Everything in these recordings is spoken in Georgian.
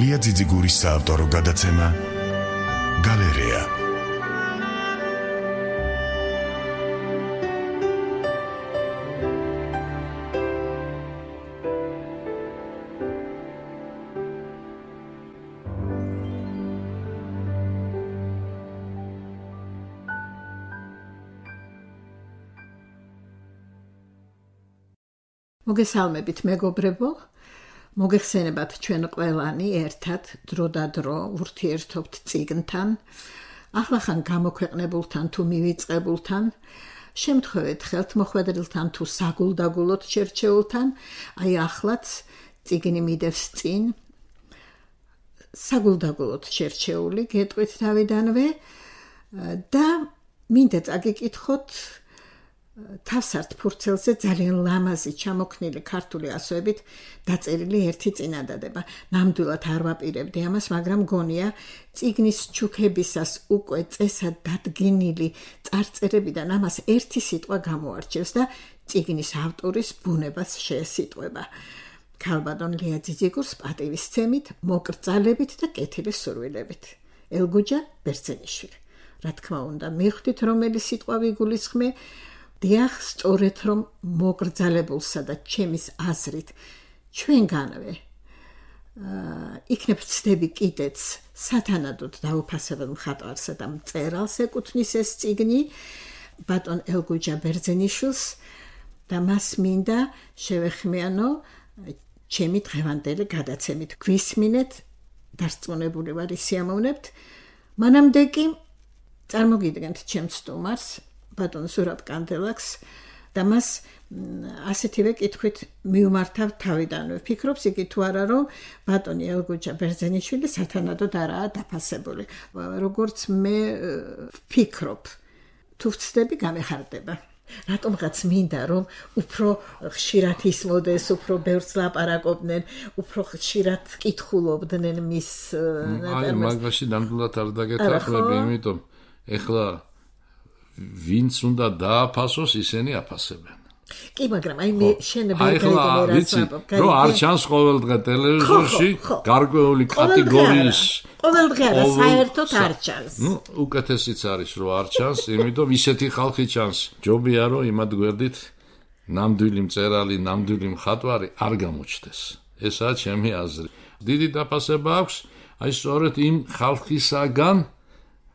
ლია ძიძიგურის საავტორო გადაცემა გალერეა. მოგესალმებით მეგობრებო, მოგეხსენებათ ჩვენ ყველანი ერთად დროდადრო ურთიერთობთ წიგნთან, ახლახან გამოქვეყნებულთან თუ მივიწყებულთან, შემთხვევით ხელთმოხვედრილთან თუ საგულდაგულოდ შერჩეულთან, აი ახლაც წიგნი მიდევს წინ, საგულდაგულოდ შერჩეული გეტყვით თავიდანვე და მინდა წაგიკითხოთ თავსართ ფურცელზე ძალიან ლამაზი ჩამოქნილი ქართული ასოებით დაწერილი ერთი წინადადება. ნამდვილად არ ვაპირებდი ამას, მაგრამ გონია წიგნის ჩუქებისას უკვე წესად დადგენილი წარწერებიდან ამას ერთი სიტყვა გამოარჩევს და წიგნის ავტორის ბუნებას შეესიტყვება. ქალბატონ ლია ძიძიგურს პატივისცემით, მოკრძალებით და კეთილი სურვილებით. ელგუჯა ბერძენიშვილი. რა თქმა უნდა, მიხვდით რომელი სიტყვა ვიგულისხმე, დიახ, სწორედ რომ მოკრძალებულსა და ჩემის აზრით ჩვენგანვე იქნებ ვცდები კიდეც სათანადოდ დაუფასებელ მხატვარსა და მწერალს ეკუთვნის ეს წიგნი ბატონ ელგუჯა ბერძენიშვილს და მას მინდა შევეხმიანო ჩემი დღევანდელი გადაცემით. გვისმინეთ, დარწმუნებული ვარ ისიამოვნებთ. მანამდე კი წარმოგიდგენთ ჩემს სტუმარს ბატონ ზურაბ კანდელაკს და მას ასეთივე კითხვით მივმართავ თავიდანვე. ფიქრობს იგი თუ არა რომ ბატონი ელგუჯა ბერძენიშვილი სათანადოდ არაა დაფასებული. როგორც მე ვფიქრობ, თუ ვცდები გამეხარდება. რატომღაც მინდა რომ უფრო ხშირად ისმოდეს, უფრო ბევრს ლაპარაკობდნენ, უფრო ხშირად კითხულობდნენ მის აი მაგაში ნამდვილად არ დაგეთანხმები, იმიტომ ეხლა ვინც უნდა დააფასოს, ისინი აფასებენ. კი, მაგრამ აი მე შენებრივი რომ არ ჩანს ყოველდღე ტელევიზორში გარკვეული კატეგორიის ყოველდღე არა, საერთოდ არ ჩანს. უკეთესიც არის რომ არ ჩანს, იმიტომ ისეთი ხალხი ჩანს. ჯობია რომ იმად გვერდით ნამდვილი მწერალი, ნამდვილი მხატვარი არ გამოჩნდეს. ესაა ჩემი აზრი. დიდი დაფასება აქვს აი სწორედ იმ ხალხისაგან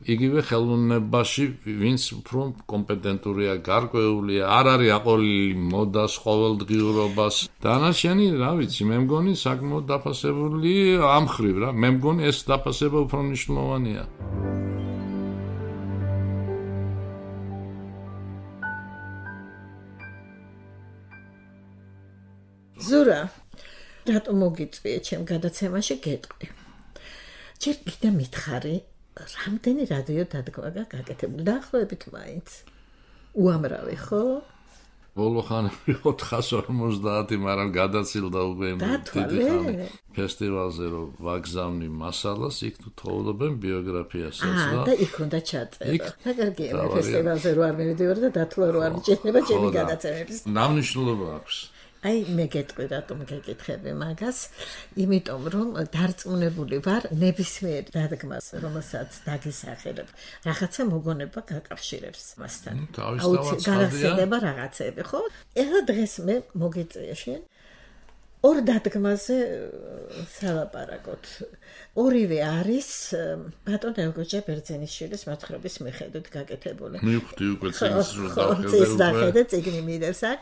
იგივე ხელოვნებაში, ვინც უფრო კომპეტენტურია, გარკვეულია, არ არის აყოლილი მოდას, ყოველდღიურობას. დანარჩენი, რა ვიცი, მე მგონი საკმაოდ დაფასებული ამ ხრივ რა. მე მგონი ეს დაფასება უფრო მნიშვნელოვანია. ზურა, რატომ მოგიწვიე ჩემ გადაცემაში გეტყვი? ჯერ კიდე მითხარი რამდენი რადიო დადგმა გაკეთებული დაახლოებით მაინც უამრავი ხო? ბოლო ხანები 450, მაგრამ გადაცილდა უკვე დიდი ხანი. ფესტივალზე რომ ვაგზავნი მასალას, იქ თუ თხოვობენ ბიოგრაფიასაც და იქ უნდა ჩაწერო. და კარგია, ფესტივალზე რო არ მივიდივარ და დათვალ რო არ მიჭირდება ჩემი გადაცემების. ნამნიშნულობა აქვს. აი მე გეტყვი რატომ გეკითხები მაგას, იმიტომ რომ დარწმუნებული ვარ ნებისმიერ დადგმას, რომელსაც დაგისახელებ, რაღაცა მოგონება გაკავშირებს მასთან. გაახსენდება რაღაცები, ხო? ეხლა დღეს მე მოგიწვია შენ ორ დადგმაზე სალაპარაკოთ. ორივე არის ბატონ ელგუჯა ბერძენიშვილის მოთხრობის მიხედვით გაკეთებული. მივხვდი უკვე წიგნის დახედე, წიგნი მიდევს აქ.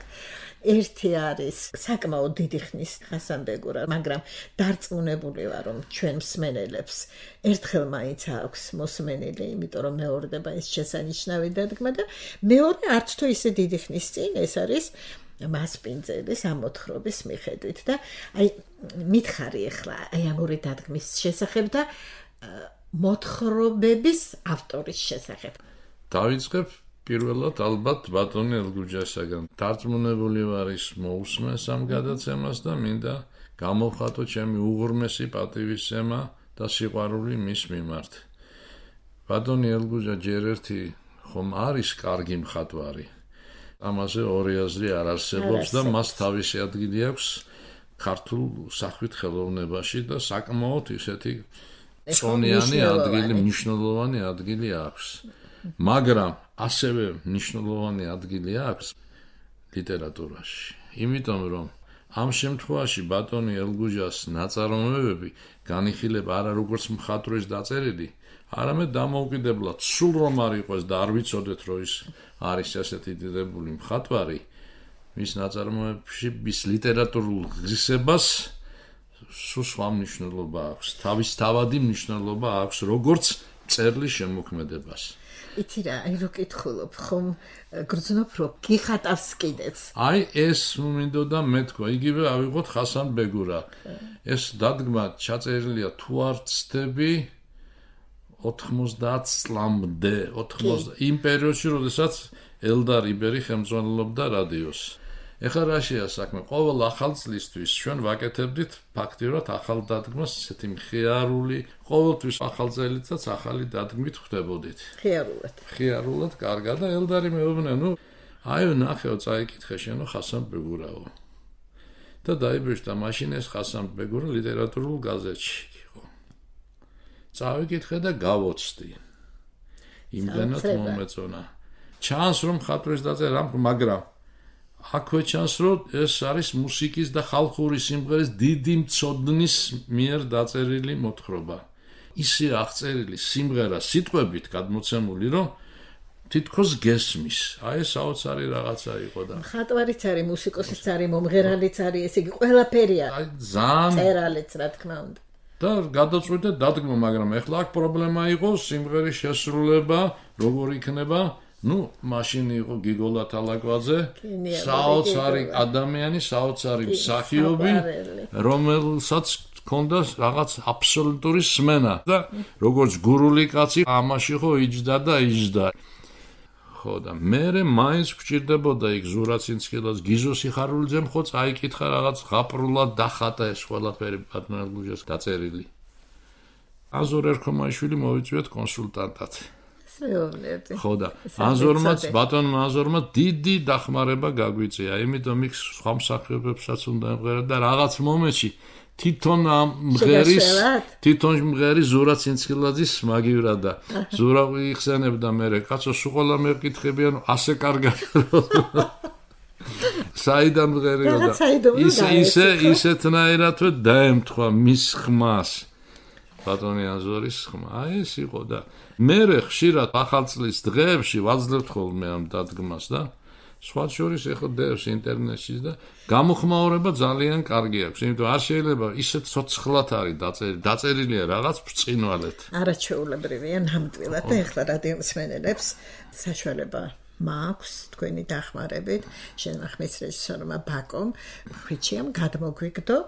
ერთი არის საკმაოდ დიდი ხნის ხასანბეგურა, მაგრამ დარწმუნებული ვარ რომ ჩვენ მსმენელებს ერთხელ მაინც აქვს მოსმენილი, იმიტომ რომ მეორდება ეს შესანიშნავი დადგმა და მეორე არც თუ ისე დიდი ხნის წინ ეს არის მასპინძელის ამოთხრობის მიხედვით და აი მითხარი ახლა აი ამ ორი დადგმის შესახებ და მოთხრობების ავტორის შესახებ. დავიწყებ პირველად ალბათ ბატონი ელგუჯასაგან. დარწმუნებული ვარ ის მოусმენს ამ გადაცემას და მინდა გამოვხატო ჩემი უღრმესი პატივისცემა და სიყვარული მის მიმართ. ბატონი ელგუჯა ჯერ ერთი ხომ არის კარგი მხატვარი. ამაზე ორი აზრი არ არსებობს და მას თავისი ადგილი აქვს ქართულ სახვით ხელოვნებაში და საკმაოდ ისეთი წონიანი ადგილი, მნიშვნელოვანი ადგილი აქვს. მაგრამ ასევე მნიშვნელოვანი ადგილი აქვს ლიტერატურაში. იმიტომ რომ ამ შემთხვევაში ბატონი ელგუჯას ნაწარმოებები განიხილება არა როგორც მხატვრის დაწერილი, არამედ დამოუკიდებლად სულ რომ არ იყოს და არ ვიცოდეთ რომ ის არის ასეთი დიდებული მხატვარი, მის ნაწარმოებებში მის ლიტერატურულ ღირსებას სულ სხვა მნიშვნელობა აქვს, თავისთავადი მნიშვნელობა აქვს როგორც მწერლის შემოქმედებას. იცი რა, აი რო კითხულობ, ხომ გრძნობ რომ გიხატავს კიდეც. აი ეს მინდოდა მეთქვა, იგივე ავიღოთ ხასან ბეგურა. ეს დადგმა ჩაწერილია თუ არ ვცდები 90 წლამდე, 80 იმ პერიოდში, როდესაც ელდარ იბერი ხელმძღვანელობდა რადიოს. ეხლა რაშია საქმე? ყოველ ახალ წლისთვის ჩვენ ვაკეთებდით ფაქტიურად ახალ დადგმას, ესეთი მხიარული, ყოველთვის ახალ წელიწადს ახალი დადგმით ხვდებოდით. მხიარულად, კარგად და ელდარი მეუბნება, აი ნახეო წაიკითხე შენო ხასან ბეგურაო. და დაიბეჭდა მაშინ ეს ხასან ბეგურა ლიტერატურულ გაზეთში იყო. წავიკითხე და გავოცდი. იმდენად მომეწონა. ჩანს რომ მხატვრის დაწერა, მაგრამ აქვე ჩანს რომ ეს არის მუსიკის და ხალხური სიმღერის დიდი მცოდნის მიერ დაწერილი მოთხრობა. ისე აღწერილი სიმღერა სიტყვებით გადმოცემული, რომ თითქოს გესმის. აი ეს საოცარი რაღაცა იყო და მხატვარიც არის, მუსიკოსიც არის, მომღერალიც არის, ესე იგი ყველაფერია. აი ძალიან წერალიც რა თქმა უნდა. და გადაწყვიტე დადგმა, მაგრამ ეხლა აქ პრობლემა იყო სიმღერის შესრულება, როგორ იქნება. მაშინ იყო გიგოლა თალაკვაძე, საოცარი ადამიანი, საოცარი მსახიობი, რომელსაც ჰქონდა რაღაც აბსოლუტური სმენა და როგორც გურული კაცი ამაში ხო იჯდა და იჯდა. ხო და მე მაინც გვჭირდებოდა იქ ზურაცინსკილას, გიზო სიხარულიძემ ხო წაიკითხა რაღაც ღაპრულად დახატა ეს ყველაფერი ბატონ ელგუჯას დაწერილი. აზურ ერქომაიშვილი მოვიწვიეთ კონსულტანტად. ხო და ბატონმა აზორმა დიდი დახმარება გაგვიწია, იმიტომ იქ სხვა მსახიობებსაც უნდა ემღერა და რაღაც მომენტში თვითონ მღერის ზურაცინსკილაძის მაგივრა და ზურა იხსენებდა მე კაცო სულ ყველა მეკითხებიან ასე კარგად საიდან მღერიო და ისეთნაირად დაემთხვა მის ხმას ბატონი აზორის ხმა. აი ეს იყო და მე ხშირად ახალ წლის დღეებში ვაძლევთ ხოლმე ამ დადგმას და სხვა შორის ეხლა დევს ინტერნეტში და გამოხმაურება ძალიან კარგი აქვს, იმიტომ არ შეიძლება ისეთ ცოცხლად არის დაწერილია რაღაც ბრწყინვალეთ. არაჩვეულებრივია ნამდვილად და ეხლა რადიო მსმენელებს საშუალება მაქვს თქვენი დახმარებით, შენახმის რეჟისორმა ბაკომ ხვიჩიამ გადმოგვიგდო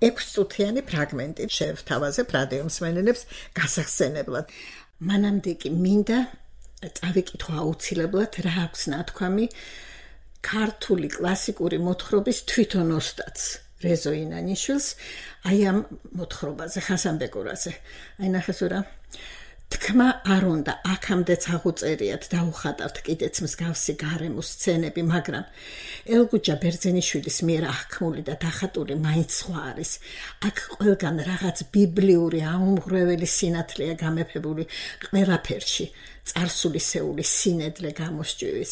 6 წუთიანი ფრაგმენტი შევთავაზებ რადიო მსმენელებს გასახსენებლად. მანამდე კი მინდა წავიკითხო აუცილებლად რა აქვს ნათქვამი ქართული კლასიკური მოთხრობის თვითონ ოსტატს რეზო ინანიშვილს აი ამ მოთხრობაზე ხასან ბეგურაზე. აი ნახეს რა თქმა არ უნდა აქამდეც აღუწერიათ და უხატავთ კიდეც მსგავსი გარემოს სცენები, მაგრამ ელგუჯა ბერძენიშვილის მიერ აღქმული და დახატული მაინც სხვა არის. აქ ყველგან რაღაც ბიბლიური აუმღრეველი სინათლეა გამეფებული ყველაფერში, წარსულისეული სინედლე გამოსჭივის.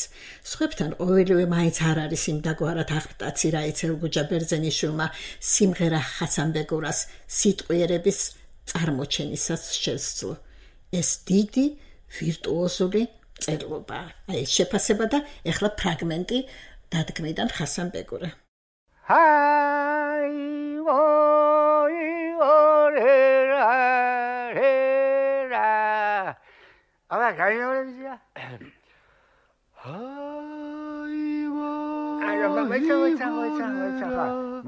სხვებთან ყოველივე მაინც არ არის იმ დაგვარად აღტაცი, რაიც ელგუჯა ბერძენიშვილმა სიმღერა ხასან ბეგურას სიტყვიერების წარმოჩენისას შესძლო. ეს დიდი ვირტუოზული წერლობა. აი შეფასება და ეხლა ფრაგმენტი დადგმიდან ხასან ბეგურა. აბა გაიორებია.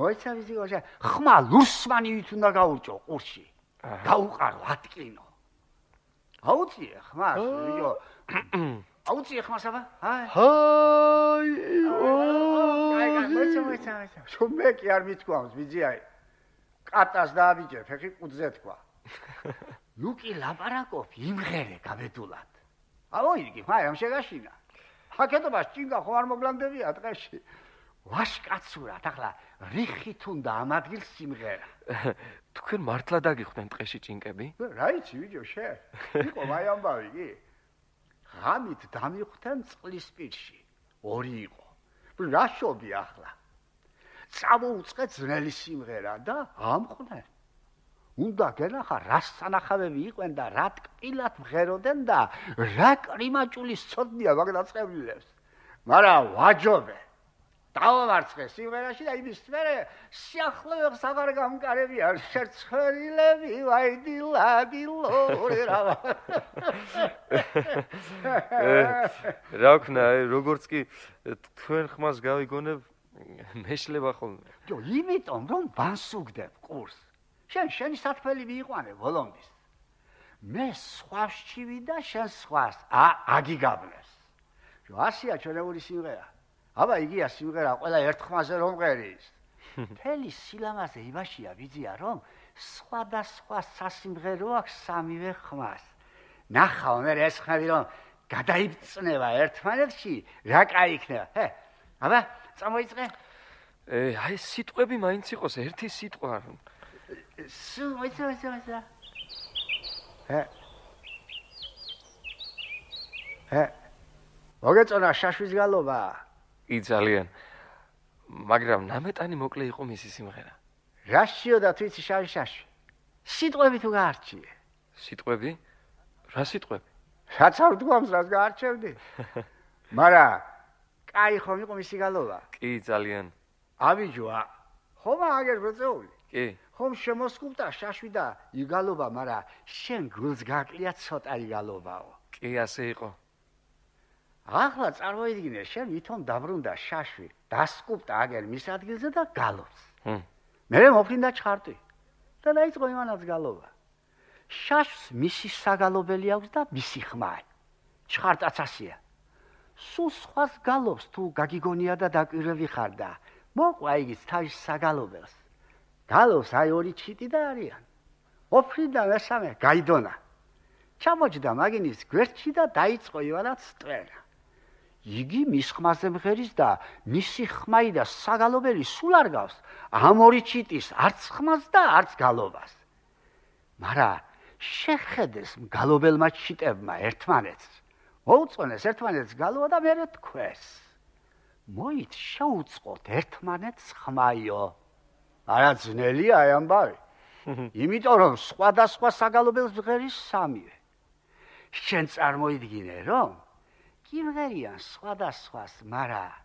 მოიცა ვიზიოშა. ხმა ლუსმანი ვით უნდა გაურჭო ყურში. გაუყარო ატკინო. აუცი ხმა ვიო. აუცი ხმა საბა? მოიცა. შუმე კი არ მithქვავს ვიძიაი. კატას დააბიჯე, ფეხი ყუძზე თქვა. ლუკი ლაპარაკობ იმღერე გაბედულად. აუ იგი ხმა ამ შეგაშინა. ჰაკეთობას ჭინგა ხო არ მოგლანდებია ტყეში. ვაშკაცურად ახლა რიხით უნდა ამ ადგილს სიმღერა. თქვენ მართლა დაგიხვდნენ ტყეში ჭინკები? რა იცი ვიჯო შე? იყო მაი ამბავი კი? ღამით დამიხვდნენ წყლის პირში. 2 იყო. რა შობი ახლა? წამოუწყე ძნელი სიმღერა და ამყვნენ. უნდა გენახა რა სანახავები იყვენ და რა ტკბილად მღეროდნენ და რა კრიმაჭულის ცოდნია მაგდაწყებლებს. მაგრამ ვაჯობე. დავამარცხე სიმღერაში და იმის მერე სიახლოვეს აღარ გამკარებია შერცხვერილები ვაიდილადილო რა. რა ვქნა, როგორც კი თქვენ ხმას გავიგონებ, მეშლება ხოლმე. ჯო, იმიტომ რომ ვანსუგდებ კურს. შენი სათფელი მიიყვანე ბოლომდის. მე სხვავსჩივი და შენ სხვას აგიგაბნეს. ჯო, ასია ჩვენეული სიმღერა. აბა იგია სიმღერა ყველა ერთ ხმაზე რომ მღერის. მთელი სილამაზე იმაშია ვიძია რომ სხვადასხვა სასიმღერო აქვს სამივე ხმას. ნახავ მე ეს ხმები რომ გადაიბწნება ერთმანეთში, რა კაი იქნება. აბა წამოიწყე. აი სიტყვები მაინც იყოს ერთი სიტყვა. მოიცა. მოგეწონა შაშვის გალობა. კი ძალიან. მაგრამ ნამეტანი მოკლე იყო მისი სიმღერა. რა შიოდა თვიცი შაში? სიტყვები თუ გაარჩიე? სიტყვები? რა სიტყვები? რაც არ ვდგომს, რაც გაარჩევდი. მაგრამ კაი ხომ იყო მისი გალობა? კი ძალიან. ავიჯოა. ხომ აგერ ბრძეული? კი. ხომ შემოსკუპტა შაშვი და იგალობა, მაგრამ შენ გულს გაკლია ცოტა იგალობაო. კი, ასე იყო. ახლა წარმოიდგინე, შენ ვითომ დაბრუნდა შაშვი, დასკუპტა აგერ მის ადგილზე და გალობს. მერე მოფრინდა ჩხარტი და დაიწყო იმანაც გალობა. შაშს მისი საგალობელი აქვს და მისი ხმა. ჩხარტაც ასია. სულ სხვას გალობს თუ გაგიგონია და დაკვირვები ხარ და მოყვა იგიც თავის საგალობელს. გალობს აი 2 ჩიტი და არიან. ოფრინდა მესამე გაიდონა. ჩამოჯდა მაგინის გვერდში და დაიწყო ივანაც ტვენა. იგი მის ხმაზე მღერის და მისი ხმაი და საგალობელი სულ არ გავს ამ 2 ჩიტის არც ხმას და არც გალობას. მაგრამ შეხედეს მგალობელმა ჩიტებმა ერთმანეთს. მოუწონეს ერთმანეთს გალობა და მერე თქვეს. მოით შეუწყოთ ერთმანეთს ხმაიო. არა ძნელია აი ამბავი. იმიტომ რომ სხვადასხვა საგალობელს მღერის სამივე. შენ წარმოიდგინე რომ კიმღერიან სხვადასხვას, მაგრამ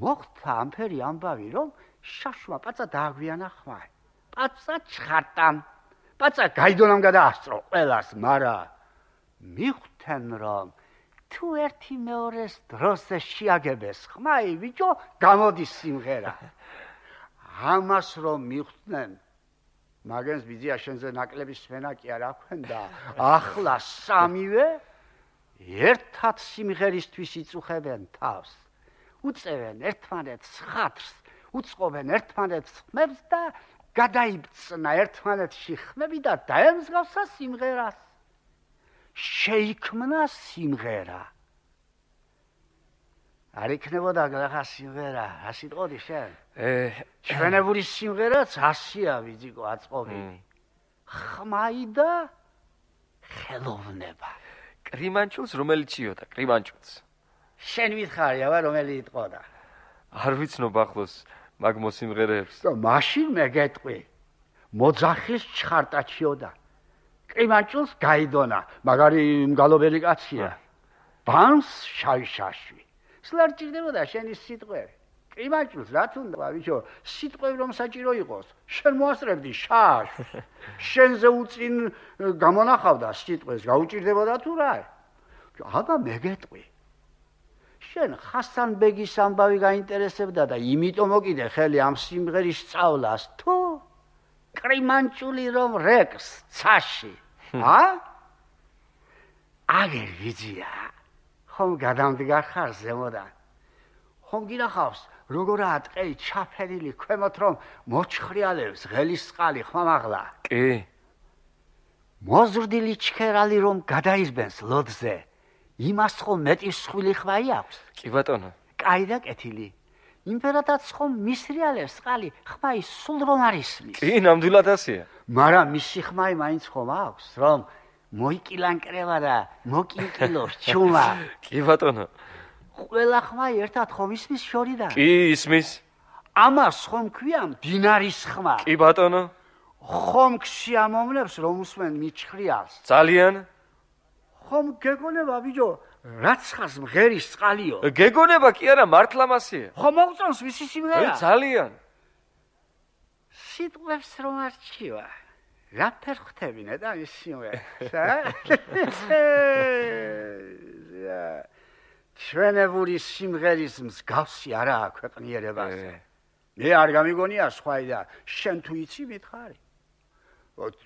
მოხდა ამფერი ამბავი რომ შაშვა პაცა დააგვიანა ხმა. პაცა ჩხარტამ. პაცა გაიდონამ გადაასწრო ყველას, მაგრამ მიხვდნენ რომ თუ ერთი მეორეს დროზე შეაგებეს ხმაი ბიჭო, გამოდის სიმღერა. ამას რომ მიხვდნენ, მაგენს ბიძია შენზე ნაკლების სვენა კი არ აქვენდა. ახლა სამივე ერთად სიმღერისთვის იწუხებენ თავს. უწევენ ერთმანეთს ხათრს, უწყობენ ერთმანეთს ხმებს და გადაიბწნა ერთმანეთში ხმები და დაემსგავსა სიმღერას. შეიქმნა სიმღერა. არ იქნებოდა გლახა სიმღერა, რა სიტყოდი შენ? ჩვენებული სიმღერაც ასია ვიძიკო აწყობილი. ხმაი და ხელოვნება. კრიმანჭულს რომელიც ჭიოდა, კრიმანჭულს. შენ ვითხარი, აბა რომელი იტყოდა? არ ვიცნობ ახლოს მაგ მოსიმღერეებს. და მაშინ მეგეტყვი. მოძახის ჩხარტა ჭიოდა. კრიმანჭულს გაიდონა, მაგარი მგალობელი კაცია. ბანს შაშვი. სულ ჭირდებოდა შენი სიტყვები. კრიმანჭულს რა თუნდა, ბიჭო, სიტყვები რომ საჭირო იყოს, შენ მოასწრებდი შაშვს. შენზე უწინ გამონახავდა სიტყვეს, გაუჭირდებოდა თუ რა? აბა მეგეტყვი. შენ ხასან ბეგის ამბავი გაინტერესებდა და იმიტომ მოკიდე ხელი ამ სიმღერის სწავლას თუ კრიმანჭული რომ რეკს ცაში. აგერ ვიძია. ხომ გადამდგარ ხარ ზემოდან. ხომ გინახავს როგორაა ტყეი ჩაფერილი ქვემოთ რომ მოჩხრიალებს ღელის წყალი ხმამაღლა. კი. მოზრდილი ჩქერალი რომ გადაიზბენს ლოდზე. იმას ხომ მეტი სხვილი ხვაი აქვს? კი ბატონო. კაი და კეთილი. იმპერატორს ხომ მისრიალებს წყალი ხმა ის სულ რომ არ ისმის. კი, ნამდვილად ასეა. მაგრამ მისი ხმა მაინც ხომ აქვს, რომ მოიკილანკრება და მოკინკილოს ჩუმა. კი ბატონო. ყველა ხმა ერთად ხომ ისმის შორიდან? კი, ისმის. ამას ხომ ქვია მდინარის ხმა? კი ბატონო. ხომ ქსიამოვნებს რომ უსმენ მიჩხრიალს? ძალიან. ხომ გეგონება ბიჭო, რაც ხას მღერის წყალიო? გეგონება კი არა, მართლა მასეა. ხომ მოგწონს მისი სიმღერა? ძალიან. სიტყვებს რომ არჩივა. რა ფერ ხვდებინე და ის სიმღერას, ჩვენებული სიმღერის მსგავსი არაა ქვეყნიერებაზე. მე არ გამიგონია სხვაი და შენ თუ იცი მითხარი.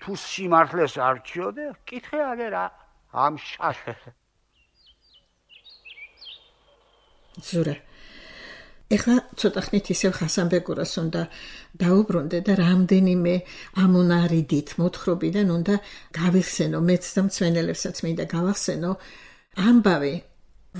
თუ სიმართლეს არჩიოდე, კითხე აგერა ამ შაშს. ზურა ეხლა ცოტა ხნით ისევ ხასანბეგურას უნდა დაუბრუნდე და რამდენიმე ამუნარიდით მოთხრობიდან უნდა გავიხსენო მეც და მცვენელებსაც მინდა გავახსენო ამბავი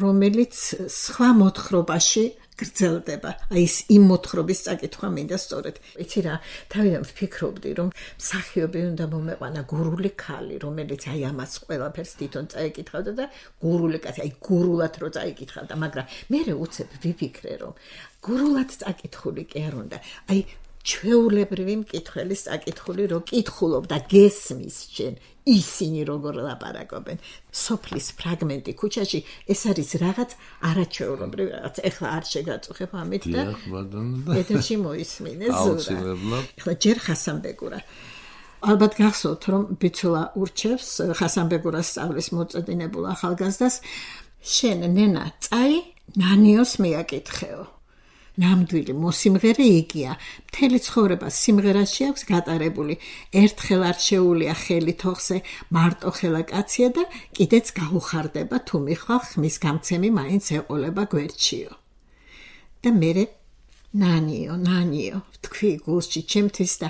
რომელიც სხვა მოთხრობაში გრძელდება. აი ეს იმ მოთხრობის წაკითხვა მინდა სწორედ. იცი რა, თავიდან ვფიქრობდი რომ მსახიობი უნდა მომეყვანა გურული ქალი, რომელიც აი ამას ყველაფერს თვითონ წაიკითხავდა და გურული კაცი, აი გურულად რო წაიკითხავდა, მაგრამ მე უცებ ვიფიქრე რომ გურულად წაკითხული კი არ უნდა. აი ჩვეულებრივი მკითხველის წაკითხული რო კითხულობ და გესმის შენ ისინი როგორ ლაპარაკობენ. სოფლის ფრაგმენტი ქუჩაში ეს არის რაღაც არაჩვეულებრივი რაღაც. ეხლა არ შეგაწუხებ ამით და ეთერში მოისმინე ზურა. ეხლა ჯერ ხასანბეგურა. ალბათ გახსოვთ რომ ბიცულა ურჩევს ხასანბეგურას სწავლის მოწედინებულ ახალგაზრდას შენ ნენა წაი ნანიოს მიაკითხეო. ნამდვილი მოსიმღერე იგია. მთელი ცხოვრება სიმღერაში აქვს გატარებული. ერთხელ არ შეუულია ხელი თოხზე, მარტო ხელა კაცია და კიდეც გაუხარდება თუ მიხვალ ხმის გამცემი მაინც ეყოლება გვერდშიო. და მერე ნანიო, თქვი გულში ჩემთვის და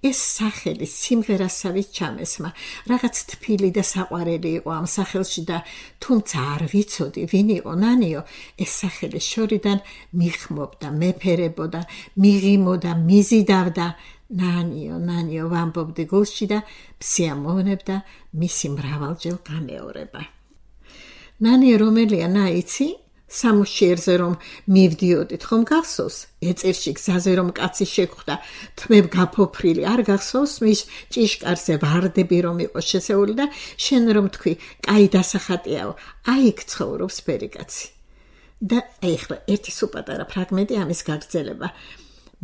ეს სახელი სიმღერასავით ჩამესმა. რაღაც თბილი და საყვარელი იყო ამ სახელში და თუმცა არ ვიცოდი ვინ იყო ნანიო, ეს სახელი შორიდან მიხმობდა, მეფერებოდა, მიღიმოდა, მიზიდავდა. ნანიო ვამბობდი გულში და მსიამოვნებდა მისი მრავალჯერ გამეორება. ნანიო რომელია ნაიცი? სამუშიერზე რომ მივდიოდით ხომ გახსოვს? ეწირში გზაზე რომ კაცი შეგხვდა, თმებ გაფოფრილი არ გახსოვს? მის ჭიშკარზე ვარდები რომ იყო შესეული და შენ რომ თქვი, კაი დასახატიაო, აი იქ ცხოვრობს ბერი კაცი. და ეხლა ერთი სუპატარა ფრაგმენტი ამის გაგრძელება.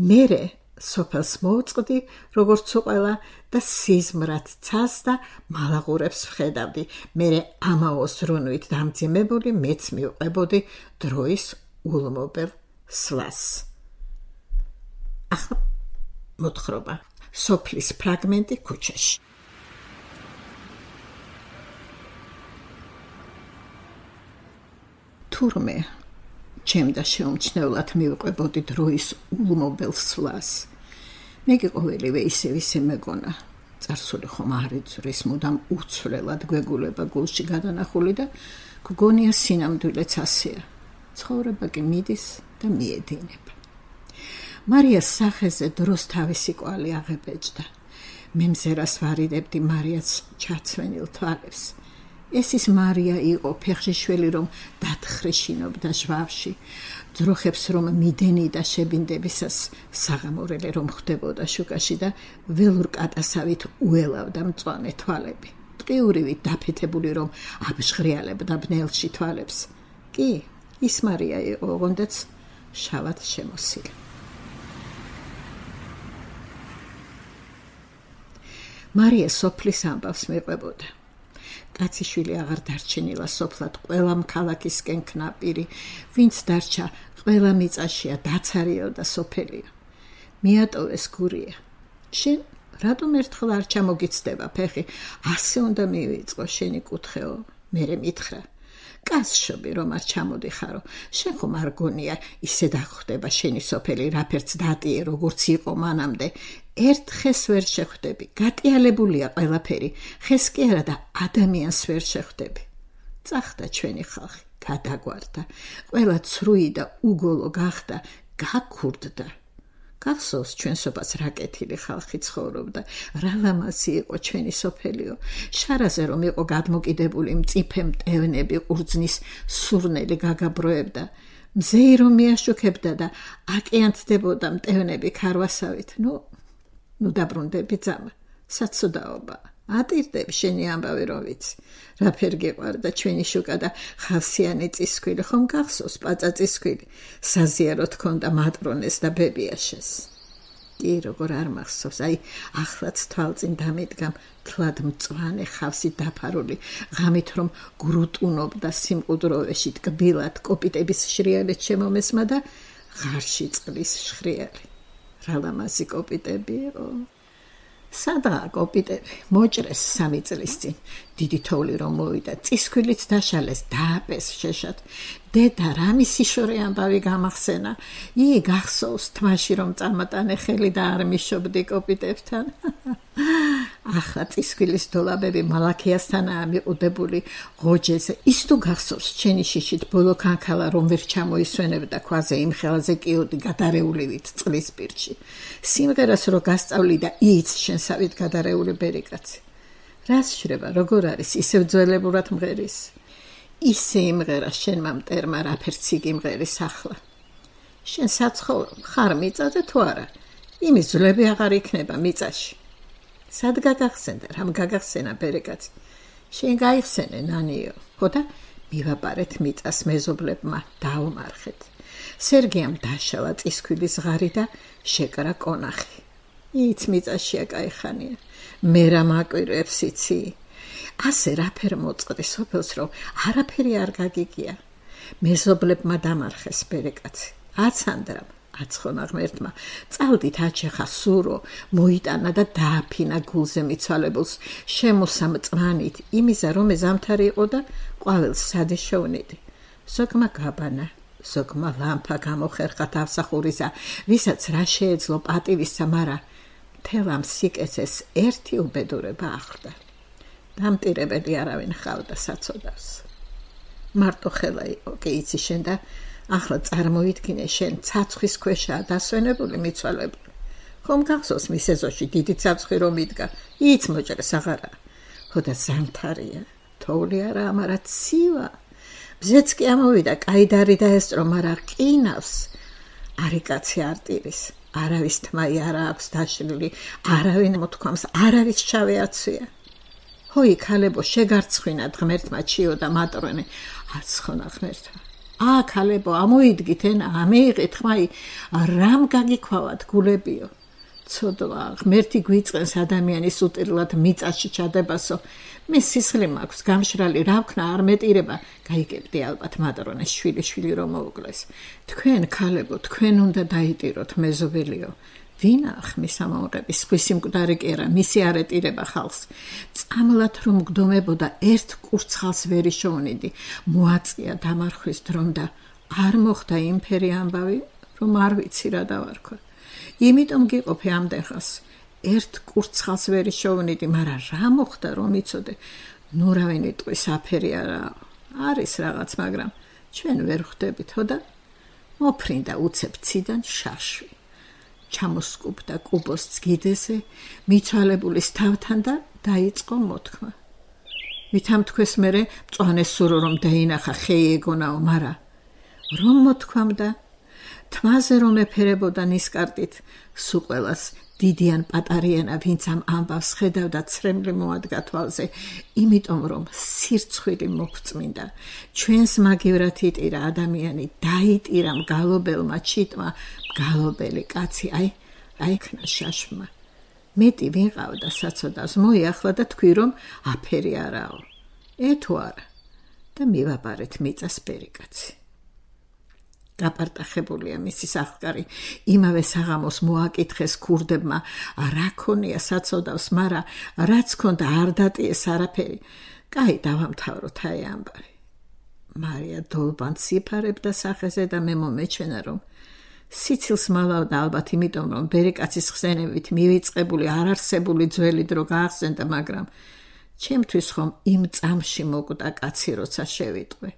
მერე სოფელს მოუწყდი, როგორც უყველა და სიზმრად ცას და მალაღურებს ვხედავდი. მერე ამაოს რუნვით დამძიმებული მეც მივყვებოდი დროის ულმობელ სვლას. ახლა მოთხრობა. სოფლის ფრაგმენტი ქუჩაში. თურმე ჩემ და შეუმჩნევლად მივყვებოდი დროის ულმობელ სვლას. მე ყოველივე ისე მეგონა. წარსული ხომ არ იწვრის, მუდამ უცვლელად გვეგულება გულში გადანახული და გგონია სინამდვილეც ასეა. ცხოვრება კი მიდის და მიედინება. მარიას სახეზე დროს თავისი კვალი აღებეჭდა. მე მზერას ვარიდებდი მარიას ჩაცვენილ თვალებს. ეს ის მარია იყო, ფეხშიშველი რომ დათხრიშინობდა ჟვავში, ძროხებს რომ მიდენი და შებინდებისას საღამორელი რომ ხდებოდა შუქაში და ველურ კატასავით უელავდა მწვანე თვალები. ტყიურივით დაფეთებული რომ აბჟღრიალებდა ბნელში თვალებს. კი, ის მარია იყო, ოღონდაც შავად შემოსილი. მარია სოფლის ამბავს მიყვებოდა. კაციშვილი აღარ დარჩენილა სოფლად, ყველამ ქალაქისკენ ქნაპირი, ვინც დარჩა, ყველა მიწაშია, დაცარიო და სოფელია. მიატოვეს გურია. შენ რატომ ერთხელ არ ჩამოგიცდება ფეხი? ასე უნდა მივიწყო შენი კუთხეო. მერე მითხრა. კაცშობი რომ არ ჩამოდიხარო, შენ ხომ არ გონია ისე დაგხვდება შენი სოფელი, რაფერც დატიე როგორც იყო მანამდე. ერთ ხეს ვერ შეხვდები, გატიალებულია ყველაფერი, ხეს კი არა და ადამიანს ვერ შეხვდები. წახდა ჩვენი ხალხი, გადაგვარდა, ყველა ცრუი და უგოლო გახდა, გაქურდდა. გახსოვს ჩვენსობას რაკეთილი ხალხი ცხოვრობდა, რა ლამაზი იყო ჩვენი სოფელიო. შარაზე რომ იყო გადმოკიდებული მწიფე მტევნები, ყურძნის სურნელი გაგაბროებდა. მზეი რომ მიაშუქებდა და აკიანთდებოდა მტევნები ქარვასავით. ნუ დაბრუნდები ძამა, საცოდაობა. ატირდები შენი ამბავი რომ ვიცი. რა ფერ გეყვარდა ჩვენი შუკა და ხავსიანი წისქვილი, ხომ გახსოვს პაწა წისქვილი, საზიაროთ ქონდა მატრონეს და ბებიაშეს. კი, როგორ არ მახსოვს, ახლაც თვალწინ დამიდგამ თლად მწვანე ხავსით დაფარული, ღამით რომ გრუტუნობდა სიმყუდროვეში ტკბილად კოპიტების შრიალით შემომესმა და ღარში წყლის შხრიალი. რა ლამაზი კოპიტები იყო. სადაა კოპიტები? მოჭრეს 3 წლის წინ. დიდი თოვლი რომ მოვიდა, წისქვილიც დაშალეს, დააპეს შეშად. დედა რამის იშორე ამბავი გამახსენა. გახსოვს თმაში რომ წამატანე ხელი და არ მიშობდი კოპიტებთან. ახლა წისქვილის დოლაბები მალაქიასთანაა მიყუდებული ღოჯეზე. ის თუ გახსოვს ჩენი შიშით ბოლო ქანქალა რომ ვერ ჩამოისვენებდა ქვაზე იმ ხელაზე კიოდი გადარეულივით წყლის პირში. სიმღერას რო გასწავლი და იც შენსავით გადარეული ბერიკაცი. რას შრება, როგორ არის, ისევ ძველებურად მღერის. ისე იმღერა შენმა მტერმა რაფერც იგი მღერის ახლა. შენ საცხოვრო ხარ მიწაზე თუ არა? იმის ძლები აღარ იქნება მიწაში. სად გაგახსენდა, რამ გაგახსენა ბერიკაცი? შენ გაიხსენე ნანიო, ხო და მივაპარეთ მიწას მეზობლებმა, დაუმარხეთ. სერგიამ დაშალა წისქვილის ღარი და შეკრა კონახი. იც მიწაშია კაიხანია. მე რა მაკვირვებს იცი? ასე რაფერ მოწყდი სოფელს, რომ არაფერი არ გაგიგია. მეზობლებმა დამარხეს ბერიკაცი. აცანდრამ, აცხონა ღმერთმა, წავდით აჩეხა სურო, მოიტანა და დააფინა გულზე მიცვალებულს, შემოსა მწვანით, იმისა რომ ზამთარი იყო და ყვავილს სადეშოვნიდი. ზოგმა გაბანა, ზოგმა ლამპა გამოხერხა თავსახურისა, ვისაც რა შეეძლო პატივისა, მარა მთელ ამ სიკეცეს ერთი უბედურება ახლდა. დამტირებელი არავინ ხავდა საცოდავს. მარტო ხელა იყო, კი იცი შენ და ახლა წარმოიდგინე შენ ცაცხვის ქვეშაა დასვენებული მიცვალებული. ხომ გახსოვს მის ეზოში დიდი ცაცხი რომ იდგა, იც მოჭრეს აღარა. ხო და ზამთარია, თოვლი არა, მარა ცივა. ბზეც კი ამოვიდა, კაიდარი დაესწრო, მარა ყინავს. არიკაცი არტირის, არავის თმაი არა აქვს დაშლილი, არავინ მოთქვამს, არავის შავე აცვია. ჰოი ქალებო, შეგარცხვინათ ღმერთმა ჩიო და მატრონე, აცხონა ღმერთმა. ქალებო, ამოიდგით ენა, ამეიღეთ ხმაი, რამ გაგიქვავათ გულებიო. ცოდვა, ღმერთი გვიწყენს ადამიანის უტირლად მიწაში ჩადებასო. მე სისხლი მაქვს, გამშრალი, რა ვქნა, არ მეტირება. გაიგებდი ალბათ მატრონეს შვილი რომ მოუკლეს. თქვენ ქალებო, თქვენ უნდა დაიტიროთ მეზობელიო. ვინა ხმის ამაყების ხვისი მკვდარი კი არა, მისი არ ეტირება ხალხს. წამლად რომ მგდომებოდა ერთ კურცხალს ვერ იშოვნიდი, მოაწია დამარხვის დრომ და არ მოხდა იმფერი ამბავი, რომ არ ვიცი რა დავარქვა. იმიტომ გიყოფე ამდენხას. ერთ კურცხალს ვერ იშოვნიდი, მარა რა მოხდა რომ იცოდე? ნუ რავინი ტყვის აფერი არაა. არის რაღაც, მაგრამ ჩვენ ვერ ხვდებით, ხო და მოფრინდა უცებ ციდან შაშვი. ჩამოსკუბდა კუბოს ძგიდეზე, მიცვალებულის თავთან და დაიწყო მოთქმა. ვითამთქვეს მერე მწვანე სურო რომ დაინახა ხეი ეგონაო, მარა რომ მოთქვამდა, თმაზე რომ ეფერებოდა ნისკარტით, სულ ყველას დიდიან პატარიანა, ვინც ამ ამბავს ხედავდა, ცრემლი მოადგა თვალზე, იმიტომ რომ სირცხვილი მოგწმინდა. ჩვენს მაგივრად იტირა ადამიანი, დაიტირა მგალობელმა ჩიტმა, მგალობელი კაცი, აი ქნა შაშმა. მეტი ვინყავდა საცოდავს, მოიახლა და თქვი რომ აფერი არაო. თუ არა და მივაპარეთ მიწას ბერიკაცი. გაპარტახებულია მისი სახლკარი, იმავე საღამოს მოაკითხეს ქურდებმა, რა ქონია საცოდავს, მარა რაც ქონდა არ დატიეს არაფერი. კაი, დავამთავროთ აი ამბავი. მარია დოლბანს იფარებდა სახეზე და მე მომეჩვენა რომ სიცილს მალავდა ალბათ იმიტომ რომ ბერიკაცის ხსენებით მივიწყებული არარსებული ძველი დრო გაახსენდა, მაგრამ ჩემთვის ხომ იმ წამში მოკვდა კაცი როცა შევიტყვე.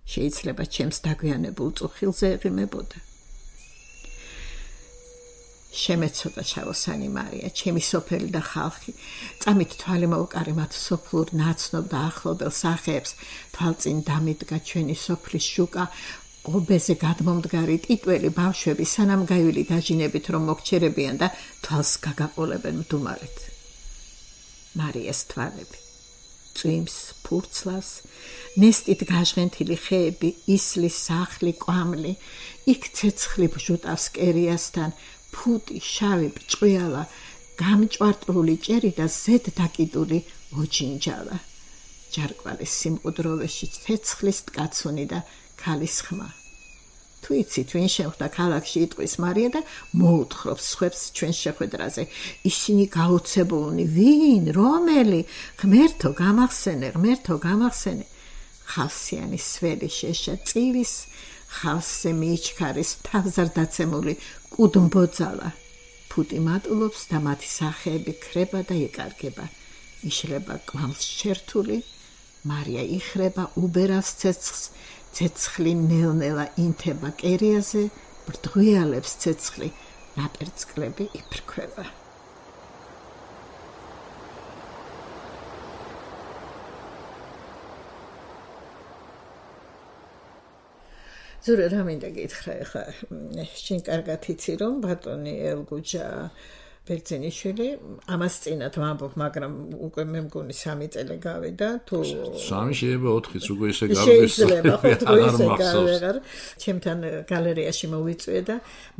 შეიძლება ჩემს დაგვიანებულ წუხილზე ეღიმებოდა. შემეცოდა ჩავოსანი მარია, ჩემი სოფელი და ხალხი. წამით თვალი მოუკარი მათ სოფლურ ნაცნობ და ახლობელ სახეებს, თვალწინ დამიდგა ჩვენი სოფლის შუკა, ობეზე გადმომდგარი ტიტველი ბავშვები სანამ გაივილი დაჟინებით რომ მოგჩერებიან და თვალს გაგაყოლებენ მდუმარით. მარიას თვალები წვიმს, ფურცლავს, ნესტით გაჟღენთილი ხეები, ისლის სახლი, კვამლი, იქ ცეცხლი ბჟუტავს კერიასთან, ფუტი, შავი, ბრჭყვიალა, გამჭვარტული ჭერი და ზედ დაკიდული ოჯინჯალა. ჯარკვალის სიმყუდროვეში ცეცხლის ტკაცუნი და ქალის ხმა. თუ იცით, ვინ შეხვდა ქალაქში იტყვის მარია და მოუთხრობს სხვებს ჩვენ შეხვედრაზე. ისინი გაოცებულნი, ვინ, რომელი, ღმერთო გამახსენე. ხავსიანი სველი შეშა წივის, ხავსზე მიიჩქარის თავზარდაცემული კუდმბოძალა. ფუტი მატულობს და მათი სახეები ქრება და იკარგება. იშლება კვამლს შერთული, მარია იხრება უბერავს ცეცხლს, ცეცხლი ნელ-ნელა ინთება კერიაზე, ბრდღვიალებს ცეცხლი, ნაპერწკლები იფრქვება. ზურა რა მინდა გითხრა ახლა, შენ კარგად იცი რომ ბატონი ელგუჯა ბერძენიშვილი ამას წინათ ვამბობ, მაგრამ უკვე მე მგონი 3 წელი გავიდა, თუ 3 შეიძლება 4-იც უკვე ისე გავდეს. ჩემთან გალერეაში მოვიწვია და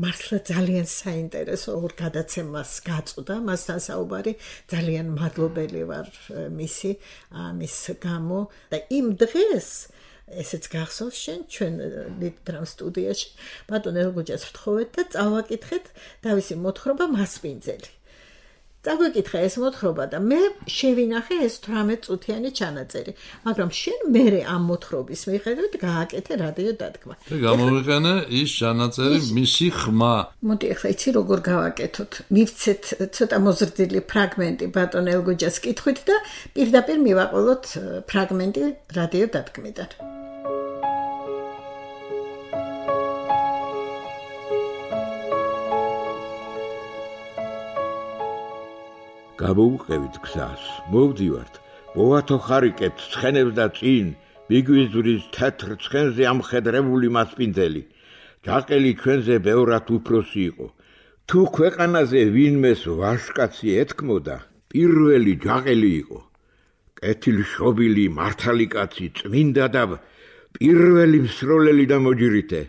მართლა ძალიან საინტერესო ორ გადაცემას გაწვდა, მასთან საუბარი, ძალიან მადლობელი ვარ მის გამო და იმ დღეს ესეც გახსოვს შენ ჩვენ ლიტდრამ სტუდიაში ბატონ ელგუჯას ვთხოვეთ და წავაკითხეთ თავისი მოთხრობა მასპინძელი. წავაკითხე ეს მოთხრობა და მე შევინახე ეს 18 წუთიანი ჩანაწერი, მაგრამ შენ მერე ამ მოთხრობის მიხედვით გააკეთე რადიო დადგმა. და გამოვიყენე ის ჩანაწერი მისი ხმა. მოდი ახლა იცი როგორ გავაკეთოთ. მივცეთ ცოტა მოზრდილი ფრაგმენტი ბატონ ელგუჯას კითხვით და პირდაპირ მივაყოლოთ ფრაგმენტი რადიო დადგმიდან. გამოვუყევით გზას, მოვდივართ, მოვათო ხარიკებთ ცხენებს და წინ, მიგვიზვრის თეთრ ცხენზე ამხედრებული მასპინძელი. ჯაყელი ჩვენზე ბევრად უფროსი იყო. თუ ქვეყანაზე ვინმეს ვაჟკაცი ეთქმოდა, პირველი ჯაყელი იყო. კეთილშობილი მართალი კაცი, წმინდა და პირველი მსროლელი და მოჯირითე.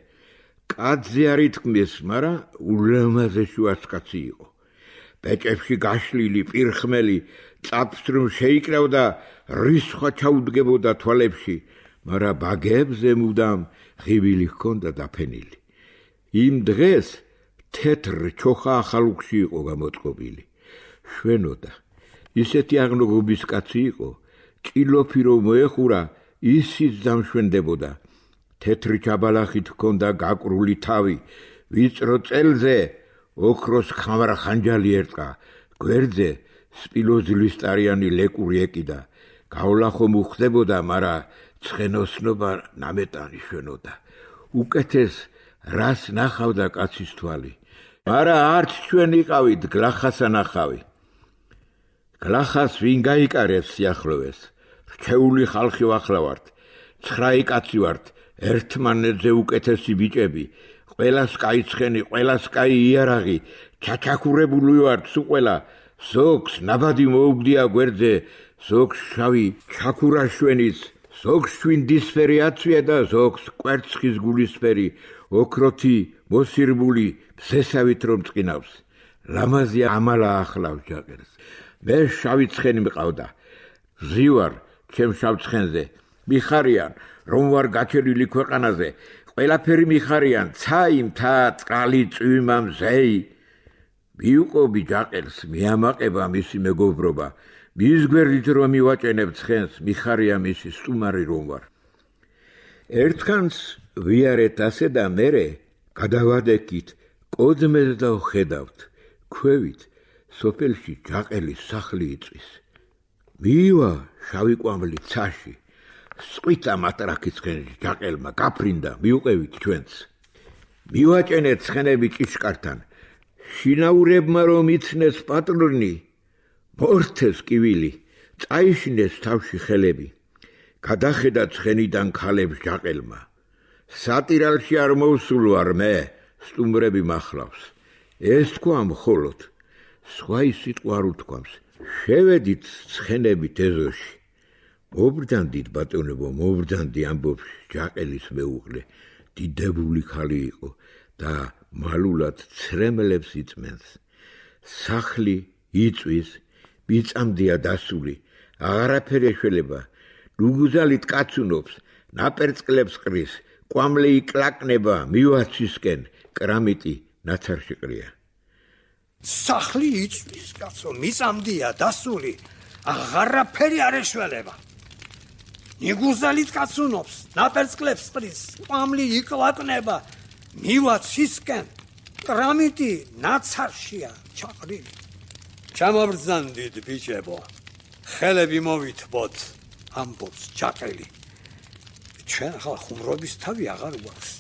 კაცზე არ ითქმის, მაგრამ ულამაზე შუასკაცი იყო. ბეჭებში გაშლილი პირხმელი წაფს რომ შეიკრავდა რისხვა ჩაუდგებოდა თვალებში, მაგრამ ბაგებზე მუდამ ღივილი ჰქონდა დაფენილი. იმ დღეს თეთრ ჩოხა ახალუქში იყო გამოწყობილი. შვენოდა. ისეთი აღნოგობის კაცი იყო, ჭილოფი რომ მოეხურა, ისიც დამშვენდებოდა. თეთრი ჩაბალახით ჰქონდა გაკრული თავი, ვიწრო წელზე ოქროს ხამარა ხანჯალი ერტყა, გვერდზე სპილოზლისტარიანი ლეკური ეკიდა. გავლახო მოხდებოდა, მაგრამ ცხენოსნობა ნამეტანი შვენოდა. უკეთეს რას ნახავდა კაცის თვალი. მაგრამ არც ჩვენ იყავით გლახასა ნახავი. გლახას ვინ გაიკარეს სიახლოვეს? რჩეული ხალხი ვახლავართ, 9 კაცი ვართ, ერთმანეთზე უკეთესი ბიჭები. ყველას კაი ცხენი, ყველას კაი იარაღი, ჩაჩაქურებული ვართ სულ ყველა. ზოგს ნაბადი მოუგდია გვერდზე, ზოგს შავი ჩაქურაშვენის, ზოგს შვინდისფერი აცვია და ზოგს კვერცხის გულისფერი, ოქროთი მოსირბული ბზესავით რომ წკინავს. ლამაზი ამალა ახლავს ჯაყელს. მე შავი ცხენი მყავდა. ზივარ ჩემ შავ ცხენზე. მიხარიან რომ ვარ გაჩერილი ქვეყანაზე. ყველაფერი მიხარიან, ცაი, მთა, წყალი, წვიმა, მზეი. მიუყობი ჯაყელს, მიამაყება მისი მეგობრობა. მის გვერდით რომ მივაჭენებ ცხენს, მიხარია მისი სტუმარი რომ ვარ. ერთხანს ვიარეთ ასე და მერე გადავადექით, კოდმეს და ვხედავთ. ქვევით, სოფელში ჯაყელის სახლი იწვის. მივა შავი კვამლი ცაში. სყვითა მატრაკი ცხენში ჯაყელმა გაფრინდა, მიუყევით ჩვენც. მივაჭენეთ ცხენები ჭიშკართან. შინაურებმა რომ იცნეს პატრონი, მორთეს კივილი, წაიშინეს თავში ხელები. გადახედა ცხენიდან ქალებს ჯაყელმა. სატირალში არ მოვსულო არ მე, სტუმრები მახლავს. ეს თქვა მხოლოდ, სხვა ის სიტყვა არ უთქვამს. შევედით ცხენებით ეზოში. მობრძანდით ბატონებო, მობრძანდი ამბობს ჯაყელის მეუღლე. დიდებული ხალი იყო და მალულად ცრემლებს იწმენს. სახლი იწვის, მიწამდეა დასული, აღარაფერი ეშველება. ნუგუზალით კაცუნობს, ნაპერწკლებს ყრის, კვამლი იკლაკნება მივაცისკენ, კრამიტი ნაცარში ყრია. სახლი იწვის, კაცო, მიწამდეა დასული, აღარაფერი არ ეშველება. ნუგუზალით კაცუნობს, ნაპერწკლებს ყრის, კვამლი იკლაკნება მივაცისკენ, კრამიტი ნაცარშია ჩაყრილი. ჩამობრძანდით ბიჭებო, ხელები მოვითბოთ, ამბობს ჯაყელი. ჩვენ ახლა ხუმრობის თავი აღარ გვაქვს,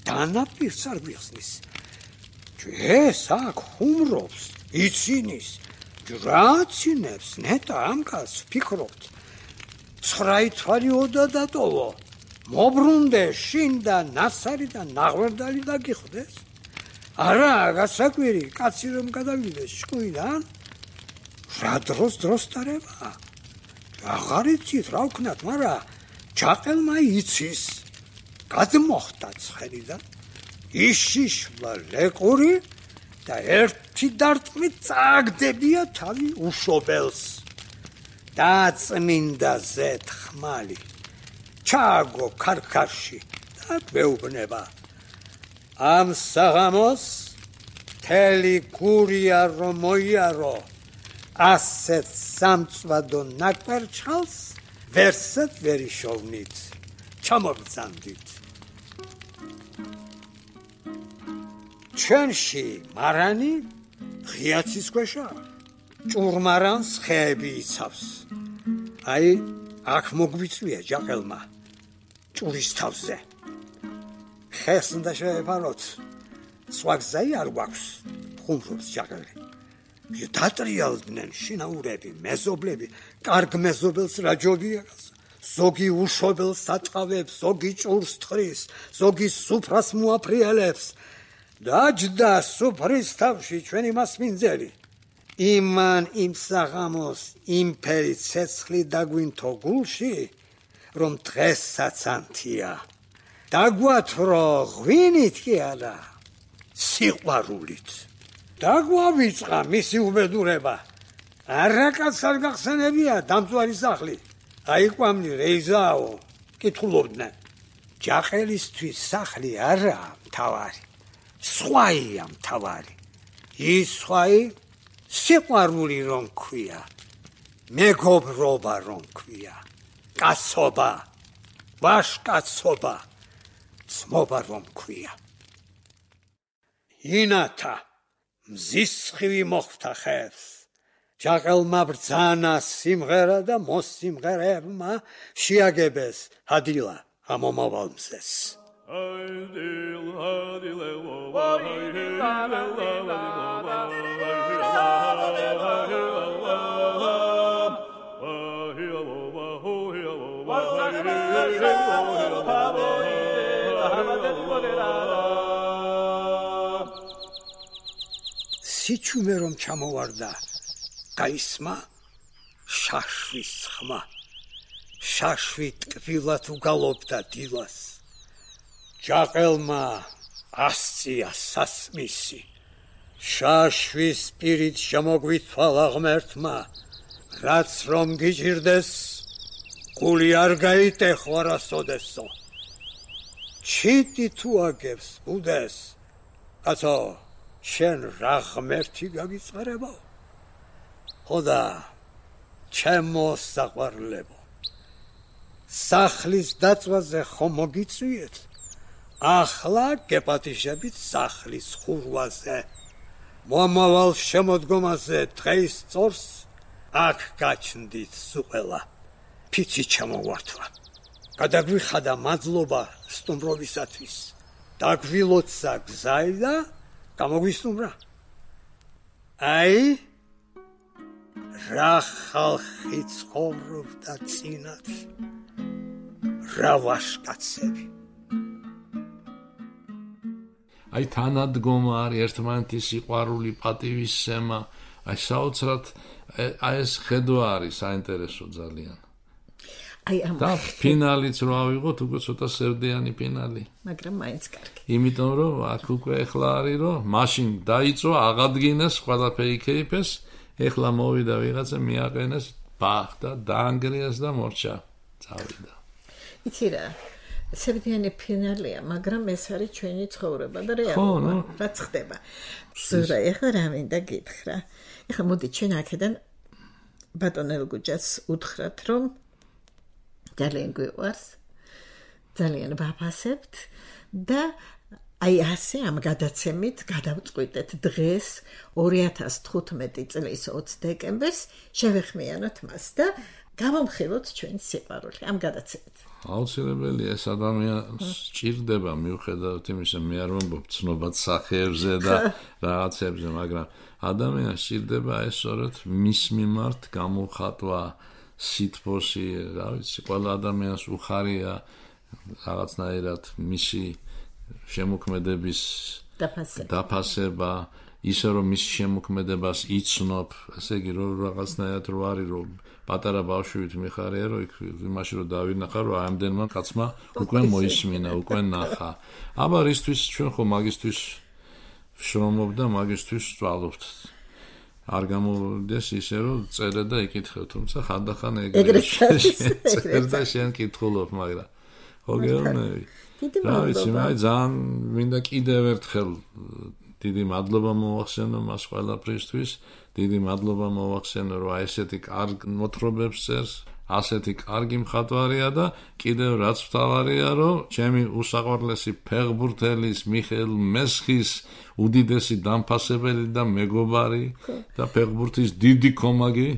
დანაპირს არ გვიხსნის. ეს აქ ხუმრობს, იცინის, რაცინებს, ნეტა ამ კაცს ფიქრობთ. 9 თვალიოდა დატოვო, მობრუნდე შინ და ნასარი და ნაღვერდალი დაგიხდეს. არა, გასაკვირი, კაცი რომ გადავიდეს ჭკუიდან, რა დროს დარება? აღარ იცით რა ვქნათ, მაგრამ ჯაყელმა იცის. გადმოხდა ცხენიდან, იშიშლა ლეკური და ერთი დარტყმით წააგდებია თავი უშობელს. დაწმინდა ზეთ ხმალი, ჩააგო ქარქარში და გვეუბნება. ამ საღამოს თელი გურია რომ მოიარო, ასეთ სამწვადო ნაკვერჩხალს ვერსად ვერ იშოვნით. ჩამობრძანდით. ჩვენში მარანი ღიაცის ქვეშა, ჭურმარანს ხეები იცავს. აი, აქ მოგვიწვია ჯაყელმა, ჭურის თავზე. ხეს უნდა შევეფაროთ, სხვა გზայի არ გვაქვს, ხუმრობს ჯაყელი. დატრიალდნენ შინაურები, მეზობლები, კარგ მეზობელს რა ჯობია, ზოგი უშობელს აწავებს, ზოგი ჭურს თხრის, ზოგი სუფრას მოაფრიალებს. დაჯდა სუფრის თავში ჩვენი მასმინძელი. იმან იმ საღამოს იმფერი ცეცხლი დაგვინთო გულში, რომ დღესაც ანთია. დაგვათრო ღვინით კი არა, სიყვარულით. დაგვავიწყა მისი უბედურება. არაკაც არ გახსენებია დამწვარი სახლი. აი კვამლი რეიზაო, კითხულობდნენ. ჯაყელისთვის სახლი არაა მთავარი, სხვაია მთავარი. ის სხვაი სიყვარული რომ ქვია, მეგობრობა რომ ქვია, კაცობა, ვაშკაცობა, ძმობა რომ ქვია. ინათა მზის სხივი მოხვდა ხერს. ჯაყელმა ბრძანა სიმღერა და მოსიმღერებმა შეაგებეს ჰადილა ამომავალ მზეს. სიჩუმე რომ ჩამოვარდა, გაისმა შაშვის ხმა. შაშვი ტკბილად უგალობდა დილას. ჯაყელმა ასწია სასმისი. შაშვის პირით შემოგვითხვალა ღმერთმა, რაც რომ გიჭირდეს, გული არ გაიტეხო არასოდესო. ჩიტი თუ აგებს ბუდეს, კაცო, შენ რა ღმერთი გაგიწყარებო? ხოდა, ჩემო საყვარლებო, სახლის დაწვაზე ხომ მოგიწვიეთ? ახლა გეპატიჟებით სახლის ხურვაზე. მომავალ შემოდგომაზე დღეის წორს აქ გაჩნდით სუყელა. ფიცი ჩამოვართვა. გადაგვიხადა მადლობა სტუმრობისათვის. დაგვილოცა გზაი და გამოგვისტუმრა. აი რა ხალხი ცხოვრობდა წინათ რა ვაშკაცები აი თანადგომა არის ერთმანეთის სიყვარული პატივისცემა აი საოცრად აი ეს ხედვა არის საინტერესო ძალიან აი ამ და ფინალიც რო ავიღოთ უკვე ცოტა სევდიანი ფინალი მაგრამ მაინც კარგი იმიტომ რომ აქ უკვე ეხლა არის რომ მაშინ დაიწვა აღადგინეს ყველაფერი იქეიფეს ეხლა მოვიდა ვიღაცა მიაყენეს ბახ და დაანგრიეს და მორჩა წავიდა იცი რა სევდიანი ფინალია მაგრამ ეს არის ჩვენი ცხოვრება და რეალობა რაც ხდება ზურა ეხლა რა მინდა გითხრა ეხლა მოდი ჩვენ აქედან ბატონ ელგუჯას უთხრათ რომ ძალიან გვიყვარს ძალიან ვაფასებთ და აი ასე ამ გადაცემით გადავწყვიტეთ დღეს 2015 წლის 20 დეკემბერს შევეხმიანოთ მას და გავამხილოთ ჩვენი სიყვარული ამ გადაცემით აუცილებელი ეს ადამიანს სჭირდება მიუხედავად იმისა მე არ ვამბობ ცნობად სახეებზე და რაღაცებზე მაგრამ ადამიანს სჭირდება ეს სწორედ მის მიმართ გამოხატვა სითბოსი რა ვიცი ყველა ადამიანს უხარია რაღაცნაირად მისი შემოქმედების დაფასება ისე რომ მის შემოქმედებას იცნობ ესე იგი რომ რაღაცნაირად რო არის რომ პატარა ბავშვით მიხარია რომ იმაში რომ დავინახა რომ ამდენმა კაცმა უკვე მოისმინა უკვე ნახა აბა რისთვის ჩვენ ხო მაგისტვის შრომობ და მაგისტვის სწავლობთ არ გამოვიდეს ისე რომ წერე და იკითხე თუმცა ხანდახან ეგრეთ წერე და შენ კითხულობ მაგრამ ხო გეუბნები რა ვიცი მე ძალიან მინდა კიდევ ერთხელ დიდი მადლობა მოვახსენო მას ყველაფრისთვის დიდი მადლობა მოვახსენო რომ ესეთი კარგ მოთხრობებს წერს ასეთი კარგი მხატვარია და კიდევ რაც მთავარია რომ ჩემი უსაყვარლესი ფეხბურთელის მიხეილ მესხის უდიდესი დამფასებელი და მეგობარი და ფეხბურთის დიდი კომაგი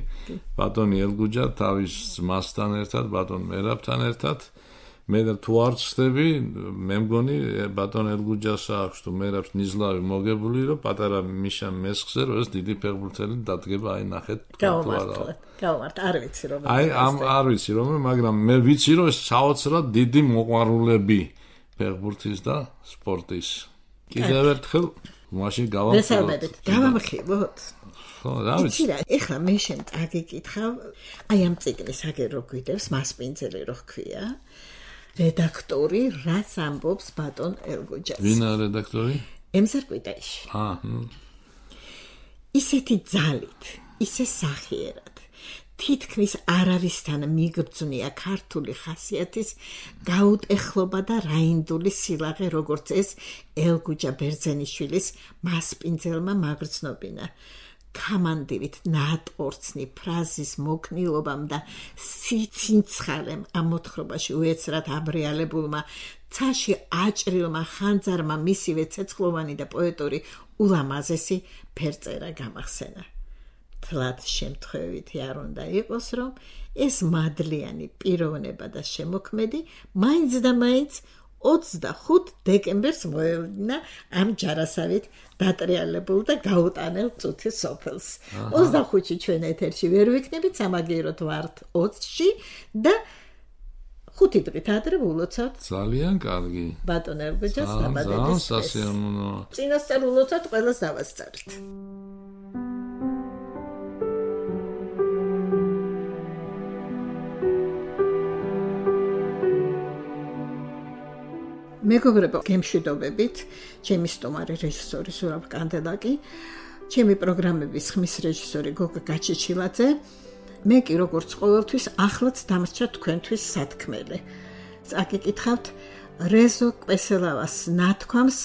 ბატონი ელგუჯა თავის ძმასთან ერთად ბატონ მერაბთან ერთად მე თუ არ ვწდები მე მგონი ბატონ ელგუჯას აქვს თუ მერაბს ნიზლავი მოგებული რომ პატარა მიშა მესხზე რომ ეს დიდი ფეხბურთელი დადგება აი ნახეთ გავმართ არ ვიცი რომ აი ამ არ ვიცი რომ მაგრამ მე ვიცი რომ ეს საოცრად დიდი მოყვარულები ფეხბურთის და სპორტის კიდევ ერთხელ მაშინ გავამხილოთ ხო რა ვიცი ეხლა მე შენ წაგიკითხავ აი ამ წიგნის აგერ რო გვიდევს მასპინძელი რო ხქვია რედაქტორი რაც ამბობს ბატონ ელგუჯას ვინა რედაქტორი ემზარ კვიტაიში ისეთი ძალით ისე სახიერად თითქმის არავისთან მიგრძნია ქართული ხასიათის გაუტეხლობა და რაინდული სილაღე როგორც ეს ელგუჯა ბერძენიშვილის მასპინძელმა მაგრძნობინა გამანდივით ნატყორცნი ფრაზის მოქნილობამ და სიცინცხალემ ამ მოთხრობაში უეცრად აბრიალებულმა ცაში აჭრილმა ხანძარმა მისივე ცეცხლოვანი და პოეტური ულამაზესი ფერწერა გამახსენა თლად შემთხვევითი არ უნდა იყოს რომ ეს მადლიანი პიროვნება და შემოქმედი მაინც და მაინც 25 დეკემბერს მოევლინა ამ ჯარასავით დატრიალებულ და გაუტანელ წუთის სოფელს. 25-ში ჩვენ ეთერში ვერ ვიქნებით, სამაგიეროდ ვართ 20-ში და 5 დღით ადრე ულოცავთ. ძალიან კარგი. ბატონ ელგუჯას დაბადების. ძალიან სასიამოვნოა. წინასწარ ულოცავთ, ყველას დავასწარით. მეგობრებო, გემშვიდობებით, ჩემი სტუმარი რეჟისორი ზურაბ კანდელაკი, ჩემი პროგრამების ხმის რეჟისორი გოგა გაჩეჩილაძე, მე კი როგორც ყოველთვის ახლაც დამრჩა თქვენთვის სათქმელი. წაგიკითხავთ რეზო კვესელავას ნათქვამს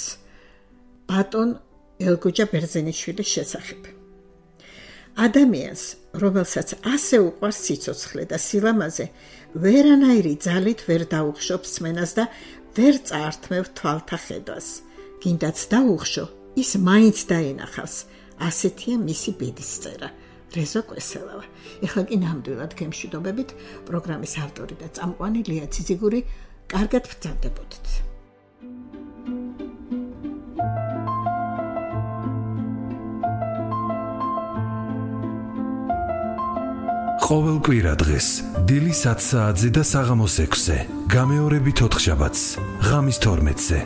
ბატონ ელგუჯა ბერძენიშვილის შესახებ. ადამიანს, რომელსაც ასე უყვარს სიცოცხლე და სილამაზე, ვერანაირი ძალით ვერ დაუხშობს სმენას და ვერ წაართმევ თვალთა ხედვას. გინდაც დაუხშო, ის მაინც დაინახავს. ასეთია მისი ბედისწერა. რეზო კვესელავა. ეხლა კი ნამდვილად გემშვიდობებით, პროგრამის ავტორი და წამყვანი ლია ციციგური, კარგად ბრძანდებოდეთ. ყოველ კვირა დღეს დილის 10 საათზე და საღამოს 6-ზე, გამეორებით 4 შაბათს, ღამის 12-ზე.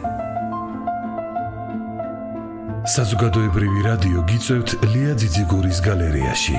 საზოგადოებრივი რადიო გიწევთ ლია ძიძიგურის გალერეაში.